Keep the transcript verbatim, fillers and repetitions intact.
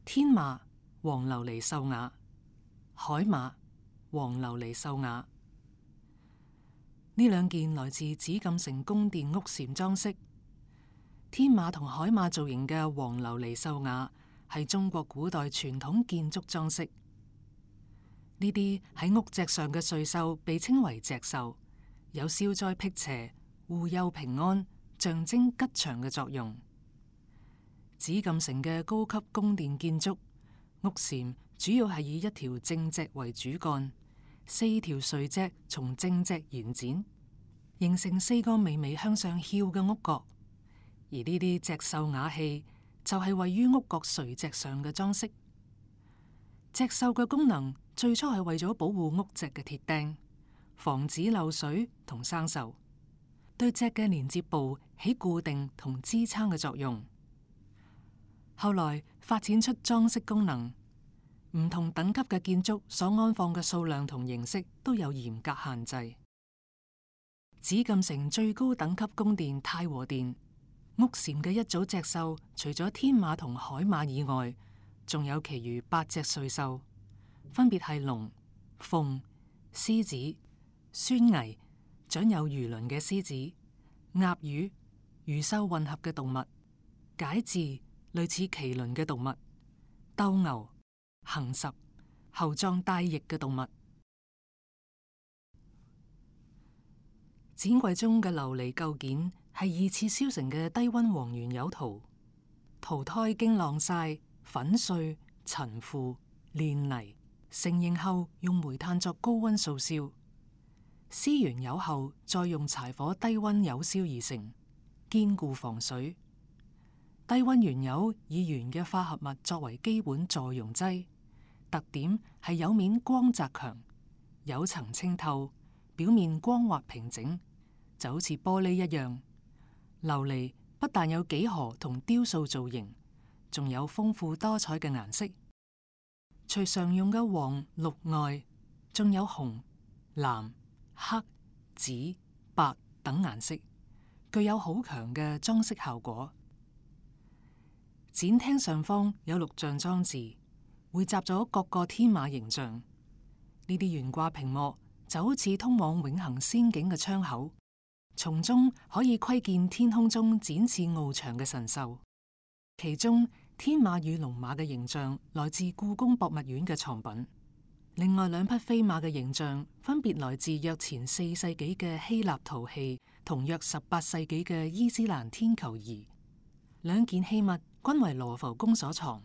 天馬黃琉璃獸瓦，海馬黃琉璃獸瓦。呢兩件來自紫禁城宮殿屋簷裝飾。天馬同海馬造型嘅黃琉璃獸瓦係中國古代傳統建築裝飾。呢啲喺屋脊上嘅瑞獸被稱為脊獸，有消災辟邪、護佑平安、象徵吉祥嘅作用。紫禁城嘅高級宮殿建築屋簷主要係以一條正脊為主幹，四條垂脊從正脊延展，形成四個微微向上翹嘅屋角。而呢啲脊獸瓦器就係位於屋角垂脊上嘅裝飾。脊獸嘅功能最初係為咗保護屋脊嘅鐵釘，防止漏水同生鏽，對脊嘅連接部起固定同支撐嘅作用。後來發展出裝飾功能，唔同等級嘅建築所安放嘅數量同形式都有嚴格限制。紫禁城最高等級宮殿太和殿屋簷嘅一組脊獸，除咗天馬同海馬以外，仲有其餘八隻瑞獸，分別係龍、鳳、獅子、狻猊，長有魚鱗嘅獅子、鴨魚、魚獸混合嘅動物、解席，類似麒麟嘅動物、鬥牛、行十，喉狀帶翼嘅動物。展櫃中嘅琉璃構件係二次燒成嘅低溫黃圓釉陶，陶胎經晾曬、粉碎、陳腐、煉泥，成形後用煤炭作高溫素燒，燒完釉後再用柴火低溫釉燒而成，堅固防水。低溫原釉以鉛嘅化合物作為基本助溶劑，特點係釉面光澤強，釉層清透，表面光滑平整，就好似玻璃一樣。琉璃不但有幾何同雕塑造型，仲有豐富多彩嘅顏色。除常用嘅黃、綠外，仲有紅、藍、黑、紫、白等顏色，具有好強嘅裝飾效果。展廳上方有錄像裝置，匯集咗各個天馬形象。呢啲懸掛屏幕就好似通往永恆仙境嘅窗口，從中可以窺見天空中展翅翱翔嘅神獸。其中天馬與龍馬嘅形象來自故宮博物院嘅藏品，另外兩匹飛馬嘅形象分別來自約前四世紀嘅希臘陶器同約十八世紀嘅伊斯蘭天球儀。兩件器物均為羅浮宮所藏。